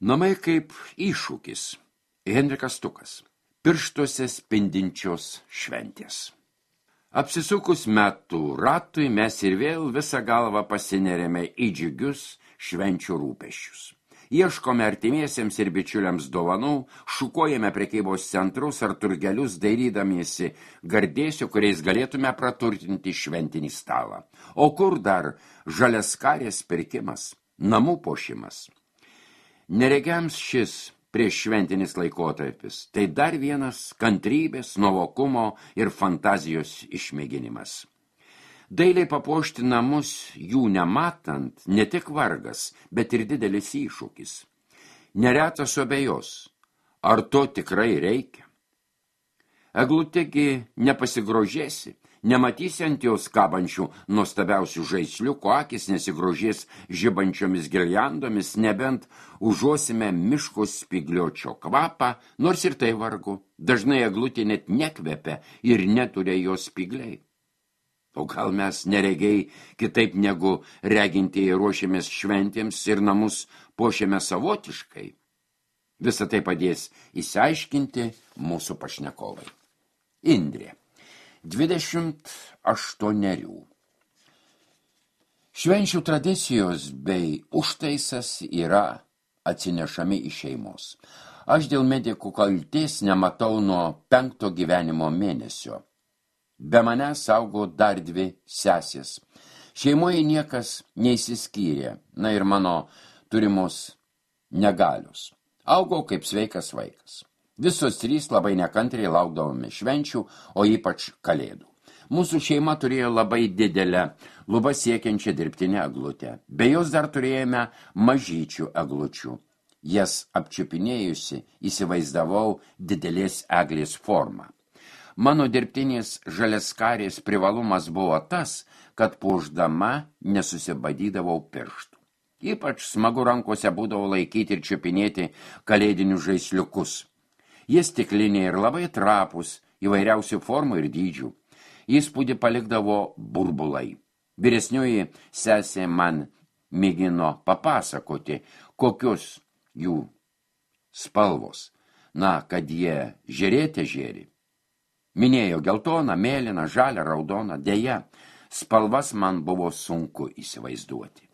Namai kaip iššūkis. Henrikas Stukas. Pirštuose spindinčios šventės. Apsisukus metų ratui mes ir vėl visą galvą pasinerėme į džiugius švenčių rūpesčius. Ieškome artimiesiems ir bičiuliams dovanų, šukuojame prekybos centrus ar turgelius, dairydamiesi gardėsių, kuriais galėtume praturtinti šventinį stalą. O kur dar žaliaskarės pirkimas, namų puošimas? Neregiams šis prieš šventinis laikotarpis, tai dar vienas kantrybės, nuovokumo ir fantazijos išmėginimas. Dailiai papuošti namus jų nematant, ne tik vargas, bet ir didelis iššūkis. Neretas abejos, ar to tikrai reikia? Eglutėgi nepasigrožėsi, nematysi ant jos kabančių nuostabiausių žaisliukų, akis nesigrožės žibančiomis girliandomis, nebent užuosime miško spigliočio kvapą, nors ir tai vargu. Dažnai eglutė net nekvepia ir neturi jos spigliai. O gal mes neregiai kitaip negu regintieji ruošiamės šventėms ir namus puošiame savotiškai? Visą tai padės išsiaiškinti mūsų pašnekovai. Indrė. 28. Švenčių tradicijos bei užtaisas yra atsinešami iš šeimos. Aš dėl medikų kaltės nematau nuo 5 gyvenimo mėnesio. Be manęs augo dar 2 sesės. Šeimoje niekas neįsiskyrė, ir mano turimos negalios. Augau kaip sveikas vaikas. Visos 3 labai nekantriai laukdavome švenčių, o ypač kalėdų. Mūsų šeima turėjo labai didelę, lubą siekiančią dirbtinę eglutę. Be jos dar turėjome mažyčių eglučių. Jas apčiupinėjusi įsivaizdavau didelės eglės formą. Mano dirbtinės žaliaskarės privalumas buvo tas, kad puošdama nesusibadydavau pirštų. Ypač smagu rankose būdavo laikyti ir čiupinėti kalėdinius žaisliukus. Jie stikliniai ir labai trapūs, įvairiausių formų ir dydžių. Įspūdį palikdavo burbulai. Vyresnioji sesė man mėgino papasakoti, kokius jų spalvos. Kad jie žėrėte žėri. Minėjo geltoną, mėlyną, žalią, raudoną. Deja, spalvas man buvo sunku įsivaizduoti.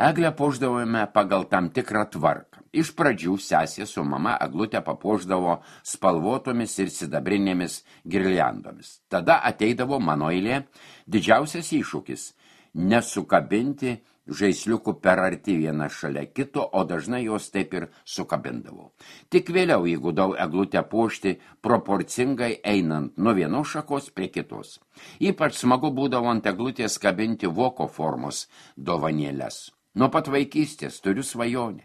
Eglę puošdavome pagal tam tikrą tvarką. Iš pradžių sesė su mama eglutę papuošdavo spalvotomis ir sidabrinėmis girliandomis. Tada ateidavo mano eilė, didžiausias iššūkis – nesukabinti žaisliukų per arti vieną šalia kito, o dažnai jos taip ir sukabindavau. Tik vėliau įgudau eglutę puošti proporcingai einant nuo vienos šakos prie kitos. Ypač smagu būdavo ant eglutės kabinti voko formos dovanėles. Nuo pat vaikystės turiu svajonę.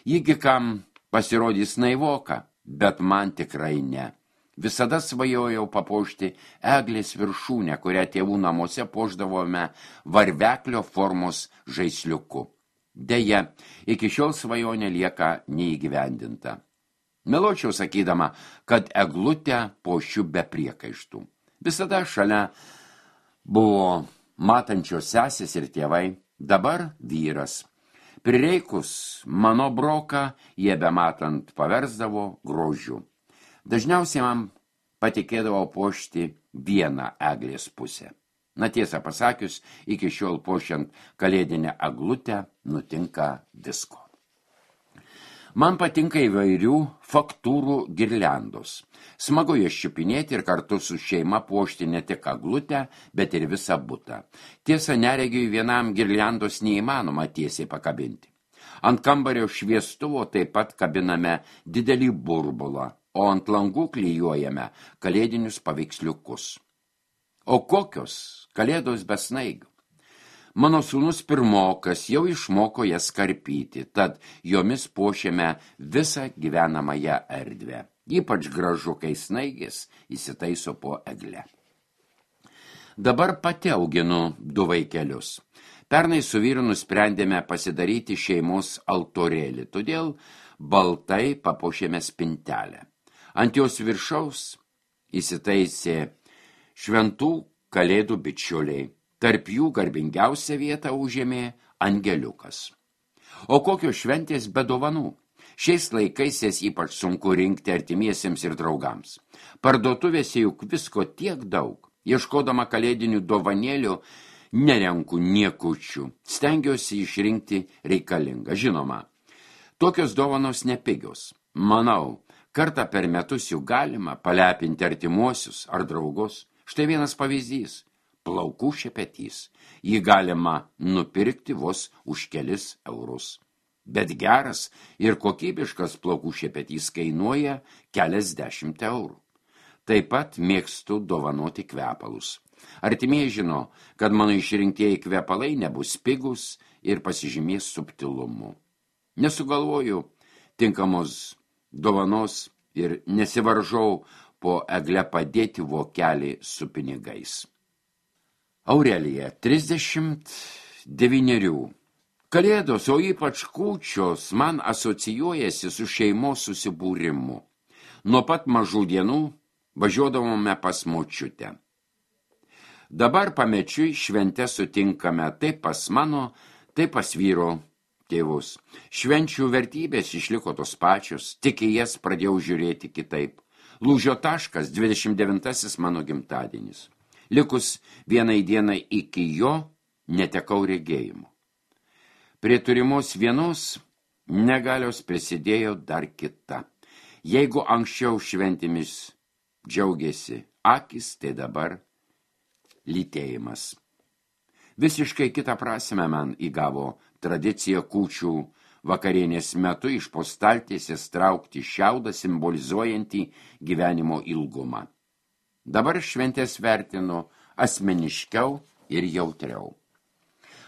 Jigi kam pasirodys naivoka, bet man tikrai ne. Visada svajojau papuošti eglės viršūnę, kurią tėvų namuose puošdavome varveklio formos žaisliuku. Deja, iki šiol svajonė lieka neįgyvendinta. Meluočiau sakydama, kad eglutę puošiu be priekaištų. Visada šalia buvo matančios sesės ir tėvai, dabar vyras. Prireikus mano broką, jie bematant paversdavo grožiu. Dažniausiai man patikėdavo puošti vieną eglės pusę. Tiesą pasakius, iki šiol puošiant kalėdinę eglutę nutinka visko. Man patinka įvairių faktūrų girliandos. Smagu jas čiupinėti ir kartu su šeima puošti ne tik eglutę, bet ir visą butą. Tiesa, neregiui vienam girliandos neįmanoma tiesiai pakabinti. Ant kambario šviestuvo taip pat kabiname didelį burbulą, o ant langų klijuojame kalėdinius paveiksliukus. O kokios kalėdos be snaigių? Mano sūnus pirmokas jau išmoko jas karpyti, tad jomis puošiame visą gyvenamąją erdvę. Ypač gražu, kai snaigės įsitaiso po egle. Dabar pati auginu 2 vaikelius. Pernai su vyru nusprendėme pasidaryti šeimos altorėlį, todėl baltai papuošėme spintelę. Ant jos viršaus įsitaisė šventų kalėdų bičiuliai. Tarp jų garbingiausią vietą užėmė angeliukas. O kokios šventės be dovanų? Šiais laikais jas ypač sunku rinkti artimiesiems ir draugams. Parduotuvėse juk visko tiek daug. Ieškodama kalėdinių dovanėlių, nerenku niekučių. Stengiuosi išrinkti reikalingą. Žinoma, tokios dovanos nepigios. Manau, kartą per metus jų galima palepinti artimuosius ar draugus. Štai vienas pavyzdys – plaukų šepetys. Jį galima nupirkti vos už kelis eurus. Bet geras ir kokybiškas plaukų šepetys kainuoja keliasdešimt eurų. Taip pat mėgstu dovanoti kvepalus. Artimieji žino, kad mano išrinktieji kvepalai nebus pigus ir pasižymės subtilumu. Nesugalvoju tinkamos dovanos ir nesivaržau po egle padėti vokelį su pinigais. Aurelija, 39. Kalėdos, o ypač kūčios, man asocijuojasi su šeimos susibūrimu. Nuo pat mažų dienų važiuodavome pas močiutę. Dabar pamečiui šventę sutinkame taip pas mano, taip pas vyro tėvus. Švenčių vertybės išliko tos pačios, tik į jas pradėjau žiūrėti kitaip. Lūžio taškas 29 mano gimtadienis. Likus vienai dienai iki jo netekau regėjimo. Prie turimos vienos negalios prisidėjo dar kita. Jeigu anksčiau šventimis džiaugiasi akis, tai dabar lytėjimas. Visiškai kitą prasmę man įgavo tradicija kūčių vakarienės metu iš po staltiesės traukti šiaudą simbolizuojantį gyvenimo ilgumą. Dabar šventės vertinu asmeniškiau ir jautriau.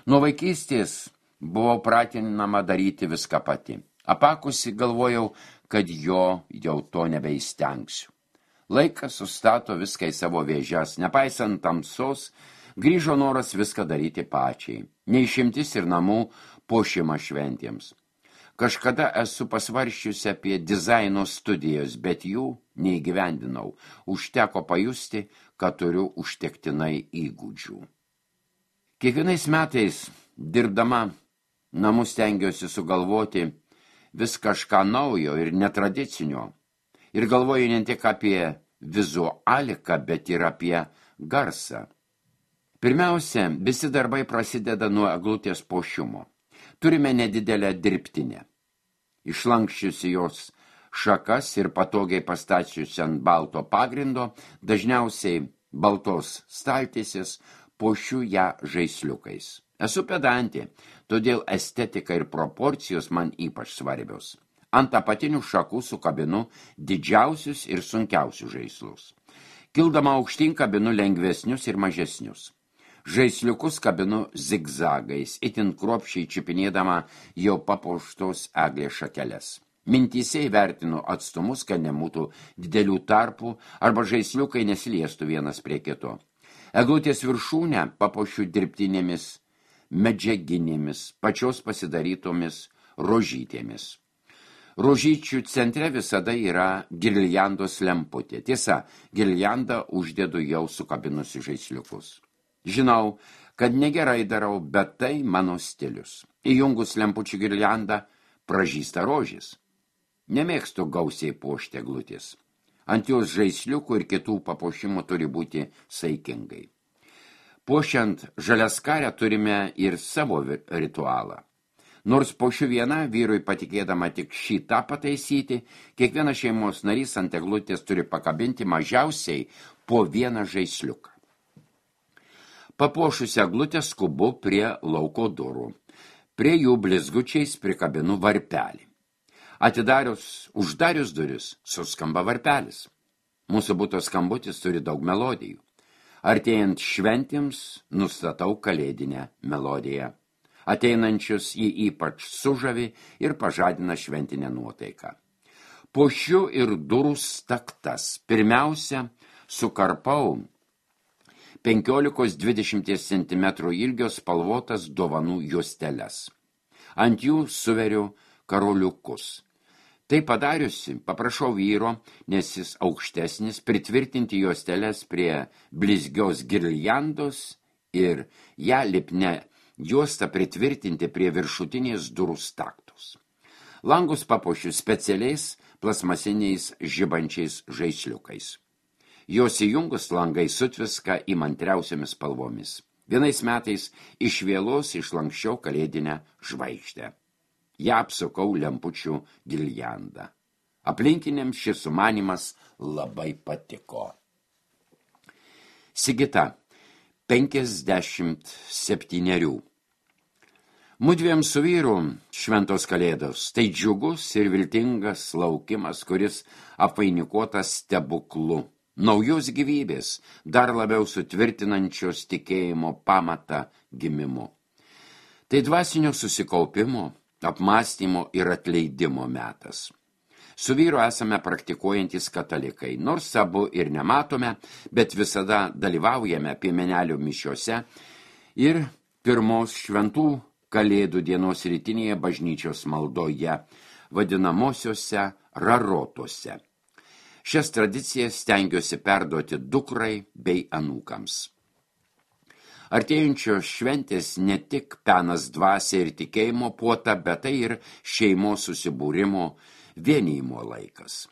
Nuo vaikystės buvau pratinama daryti viską pati. Apakusi galvojau, kad jau to nebeįstengsiu. Laikas sustato viską į savo vėžes, nepaisant tamsos, grįžo noras viską daryti pačiai. Neišimtis ir namų puošimą šventėms. Kažkada esu pasvarsčiusi apie dizaino studijos, bet jų neįgyvendinau. Užteko pajusti, kad turiu užtektinai įgūdžių. Kiekvienais metais, dirbdama, namus stengiuosi sugalvoti vis kažką naujo ir netradicinio. Ir galvoju ne tik apie vizualiką, bet ir apie garsą. Pirmiausia, visi darbai prasideda nuo eglutės puošimo. Turime nedidelę dirbtinę. Išlankščiusi jos šakas ir patogiai pastačiusi ant balto pagrindo, dažniausiai baltos staltiesės, puošiu ją žaisliukais. Esu pedantė, todėl estetika ir proporcijos man ypač svarbios. Ant apatinių šakų sukabinu didžiausius ir sunkiausius žaislus. Kildama aukštyn kabinu lengvesnius ir mažesnius. Žaisliukus kabinu zigzagais, itin kruopščiai čipinėdama jau papuoštos eglės šakeles. Mintyse įvertinu atstumus, kad nebūtų didelių tarpų arba žaisliukai nesiliestų vienas prie kito. Eglutės viršūnę papuošiu dirbtinėmis medžiaginėmis, pačios pasidarytomis rožytėmis. Rožyčių centre visada yra girliandos lemputė. Tiesa, girliandą uždedu jau sukabinusi žaisliukus. Žinau, kad negerai darau, bet tai mano stilius. Įjungus lempučių girliandą pražysta rožės. Nemėgstu gausiai puošti eglutės. Ant jos žaisliukų ir kitų papuošimų turi būti saikingai. Puošiant žaliaskarę turime ir savo ritualą. Nors puošiu viena, vyrui patikėdama tik šitą pataisyti, kiekvienas šeimos narys ant eglutės turi pakabinti mažiausiai po vieną žaisliuką. Papuošusi eglutę skubu prie lauko durų. Prie jų blizgučiais prikabinu varpelį. Uždarius duris, suskamba varpelis. Mūsų buto skambutis turi daug melodijų. Artėjant šventėms nustatau kalėdinę melodiją. Ateinančius jį ypač sužavi ir pažadina šventinę nuotaiką. Puošiu ir durų staktas. Pirmiausia, sukarpau 15-20 cm ilgio spalvotas dovanų juosteles. Ant jų suveriu karoliukus. Tai padariusi, paprašau vyro, nes jis aukštesnis, pritvirtinti juosteles prie blizgios girliandos ir ją lipne juostą pritvirtinti prie viršutinės durų staktos. Langus papuošiu specialiais plasmasiniais žibančiais žaisliukais. Jos įjungus langai sutviska įmantriausiamis spalvomis. Vienais metais iš vėlos išlankščiau kalėdinę žvaigždę. Ja apsukau lempučių giljandą. Aplinkiniams šis sumanimas labai patiko. Sigita, 57. Mudviem su vyru šventos kalėdos, tai džiugus ir viltingas laukimas, kuris apvainikuotas stebuklu. Naujos gyvybės, dar labiau sutvirtinančios tikėjimo pamatą gimimu. Tai dvasinio susikaupimo, apmąstymo ir atleidimo metas. Su vyru esame praktikuojantis katalikai, nors abu ir nematome, bet visada dalyvaujame piemenelių mišiose ir pirmos šventų Kalėdų dienos rytinėje bažnyčios maldoje, vadinamosiose rarotose. Šias tradicijas stengiuosi perduoti dukrai bei anūkams. Artėjančios šventės ne tik penas dvasia ir tikėjimo puota, bet tai ir šeimos susibūrimo, vienijimo laikas.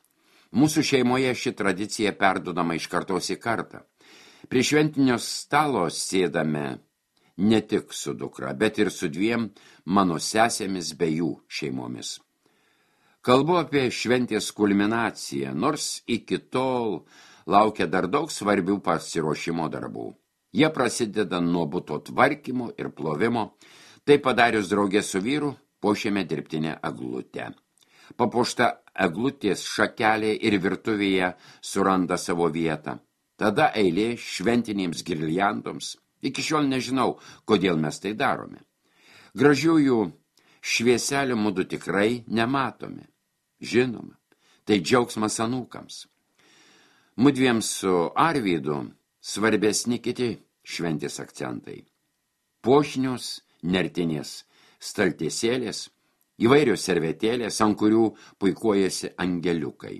Mūsų šeimoje ši tradicija perduodama iš kartos į kartą. Prie šventinio stalo sėdame ne tik su dukra, bet ir su dviem mano sesėmis bei jų šeimomis. Kalbu apie šventės kulminaciją, nors iki tol laukia dar daug svarbių pasiruošimo darbų. Jie prasideda nuo buto tvarkymo ir plovimo, tai padarius draugė su vyru, puošėme dirbtinę eglutę. Papuošta eglutės šakelė ir virtuvėje suranda savo vietą. Tada eilė šventinėms girliandoms. Iki šiol nežinau, kodėl mes tai darome. Gražiųjų švieselių mudu tikrai nematome. Žinoma, tai džiaugsmas anūkams. Mudviem su Arvydu svarbesni kiti šventės akcentai. Puošnios, nertinės staltiesėlės, įvairios servetėlės, ant kurių puikuojasi angeliukai.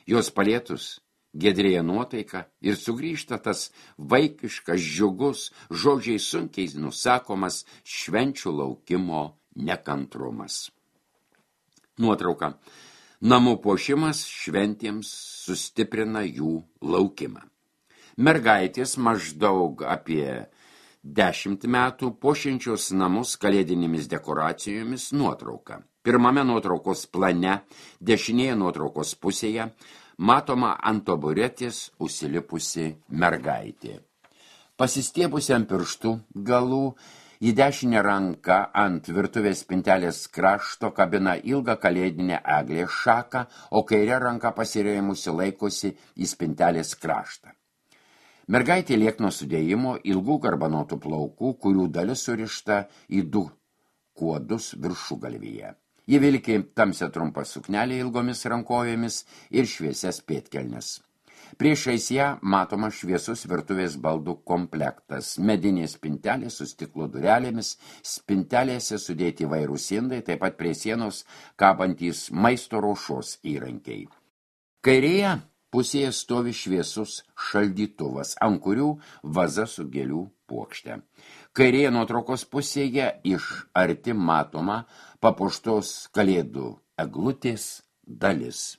Jos palietus giedrėja nuotaika ir sugrįžta tas vaikiškas, džiugus, žodžiai sunkiai nusakomas švenčių laukimo nekantrumas. Nuotrauka. Namų puošimas šventėms sustiprina jų laukimą. Mergaitės maždaug apie 10 metų puošiančios namus kalėdinėmis dekoracijomis nuotrauka. Pirmame nuotraukos plane, dešinėje nuotraukos pusėje, matoma ant taburetės užsilipusi mergaitė. Pasistiebusi ant pirštų galų, į dešinę ranką ant virtuvės spintelės krašto kabina ilgą kalėdinę eglės šaką, o kairę ranką pasirėmusi laikosi į spintelės kraštą. Mergaitė liekno sudėjimo, ilgų garbanotų plaukų, kurių dalis surišta į 2 kuodus viršugalvyje. Ji vilki tamsią trumpą suknelę ilgomis rankovėmis ir šviesias pėdkelnes. Priešais ją matoma šviesus virtuvės baldų komplektas, medinės spintelės su stiklo durelėmis, spintelėse sudėti įvairūs indai, taip pat prie sienos kabantys maisto ruošos įrankiai. Kairėje pusėje stovi šviesus šaldytuvas, ant kurių vaza su gėlių puokšte. Kairėje nuotraukos pusėje iš arti matoma papuoštos kalėdų eglutės dalis.